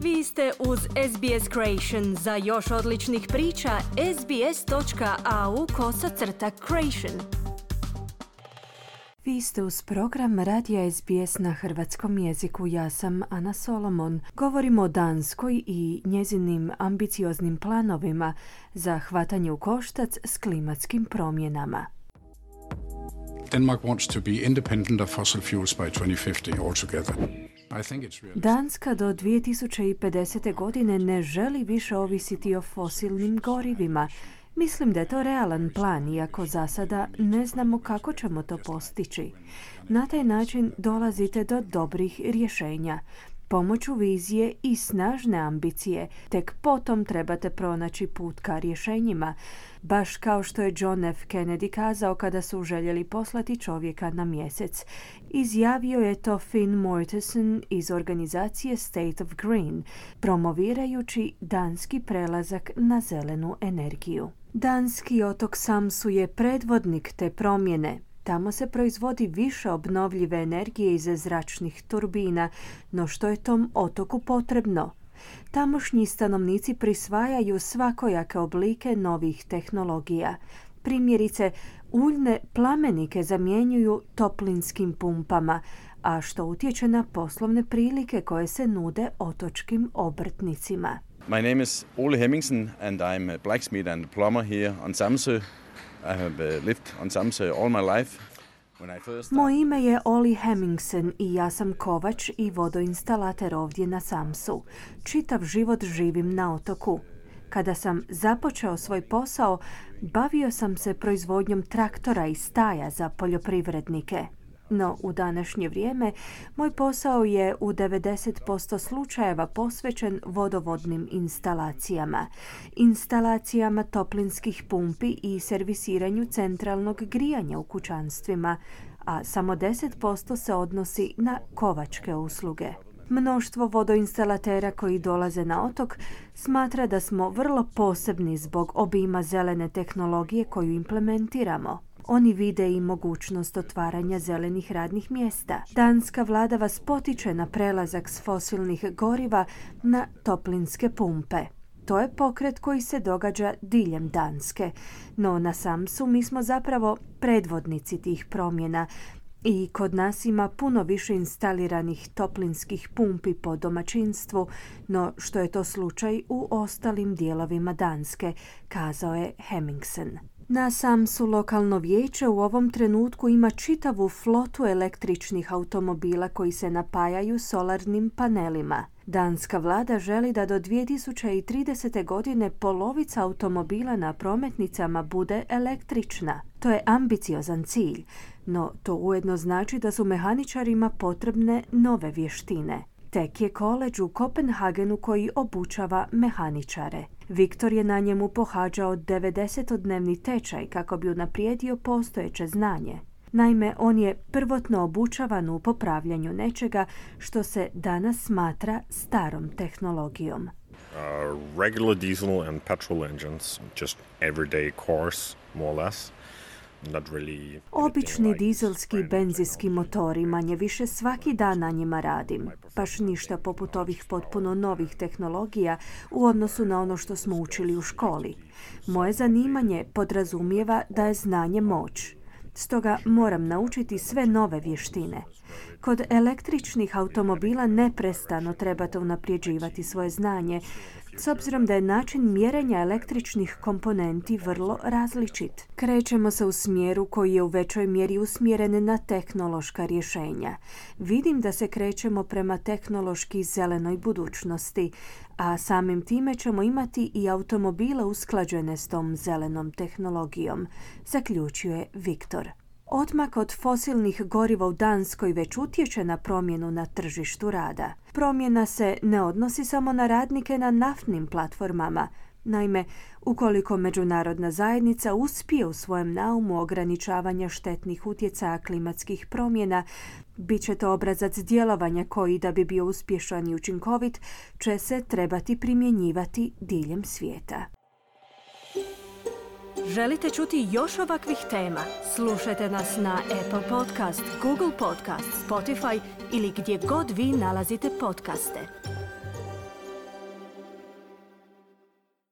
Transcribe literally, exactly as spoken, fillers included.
Vi ste uz S B S Creation. Za još odličnih priča, sbs.au kosacrta creation. Vi ste uz program Radija S B S na hrvatskom jeziku. Ja sam Ana Solomon. Govorimo o Danskoj i njezinim ambicioznim planovima za hvatanje u koštac s klimatskim promjenama. Denmark wants to be independent of fossil fuels by twenty fifty altogether. I think it's realistic. Danska do dvije tisuće pedesete. godine ne želi više ovisiti o fosilnim gorivima. Mislim da je to realan plan, iako za sada ne znamo kako ćemo to postići. Na taj način dolazite do dobrih rješenja. Pomoću vizije i snažne ambicije, tek potom trebate pronaći put ka rješenjima, baš kao što je John F. Kennedy kazao kada su željeli poslati čovjeka na mjesec. Izjavio je to Finn Mortensen iz organizacije State of Green, promovirajući danski prelazak na zelenu energiju. Danski otok Samsu je predvodnik te promjene. Tamo se proizvodi više obnovljive energije iz zračnih turbina, no što je tom otoku potrebno? Tamošnji stanovnici prisvajaju svakojake oblike novih tehnologija. Primjerice, uljne plamenike zamjenjuju toplinskim pumpama, a što utječe na poslovne prilike koje se nude otočkim obrtnicima. My name is Ole Hemmingsen and I'm a blacksmith and plumber here on Samsø. I have lived on Samsø all my life. Moje ime je Oli Hemmingsen i ja sam kovač i vodoinstalater ovdje na Samsu. Čitav život živim na otoku. Kada sam započeo svoj posao, bavio sam se proizvodnjom traktora i staja za poljoprivrednike. No, u današnje vrijeme, moj posao je u devedeset posto slučajeva posvećen vodovodnim instalacijama, instalacijama toplinskih pumpi i servisiranju centralnog grijanja u kućanstvima, a samo deset posto se odnosi na kovačke usluge. Mnoštvo vodoinstalatera koji dolaze na otok smatra da smo vrlo posebni zbog obima zelene tehnologije koju implementiramo. Oni vide i mogućnost otvaranja zelenih radnih mjesta. Danska vlada vas potiče na prelazak s fosilnih goriva na toplinske pumpe. To je pokret koji se događa diljem Danske. No na Samsu mi smo zapravo predvodnici tih promjena i kod nas ima puno više instaliranih toplinskih pumpi po domaćinstvu, no što je to slučaj u ostalim dijelovima Danske, kazao je Hemmingsen. Na Samsu lokalno vijeće u ovom trenutku ima čitavu flotu električnih automobila koji se napajaju solarnim panelima. Danska vlada želi da do dvije tisuće tridesete. godine polovica automobila na prometnicama bude električna. To je ambiciozan cilj, no to ujedno znači da su mehaničarima potrebne nove vještine. Tek je koledž u Kopenhagenu koji obučava mehaničare. Viktor je na njemu pohađao devedesetodnevni tečaj kako bi unaprijedio postojeće znanje. Naime, on je prvotno obučavan u popravljanju nečega što se danas smatra starom tehnologijom. Uh, regular diesel and petrol engines, just everyday cars, more or less. Obični dizelski i benzinski motori, manje više svaki dan na njima radim. Baš ništa poput ovih potpuno novih tehnologija u odnosu na ono što smo učili u školi. Moje zanimanje podrazumijeva da je znanje moć. Stoga moram naučiti sve nove vještine. Kod električnih automobila neprestano trebate unaprijeđivati svoje znanje, s obzirom da je način mjerenja električnih komponenti vrlo različit. Krećemo se u smjeru koji je u većoj mjeri usmjeren na tehnološka rješenja. Vidim da se krećemo prema tehnološki zelenoj budućnosti, a samim time ćemo imati i automobile usklađene s tom zelenom tehnologijom, zaključio je Viktor. Odmak od fosilnih goriva u Danskoj već utječe na promjenu na tržištu rada. Promjena se ne odnosi samo na radnike na naftnim platformama. Naime, ukoliko međunarodna zajednica uspije u svojem naumu ograničavanja štetnih utjecaja klimatskih promjena, bit će to obrazac djelovanja koji, da bi bio uspješan i učinkovit, će se trebati primjenjivati diljem svijeta. Želite čuti još ovakvih tema? Slušajte nas na Apple Podcast, Google Podcast, Spotify ili gdje god vi nalazite podcaste.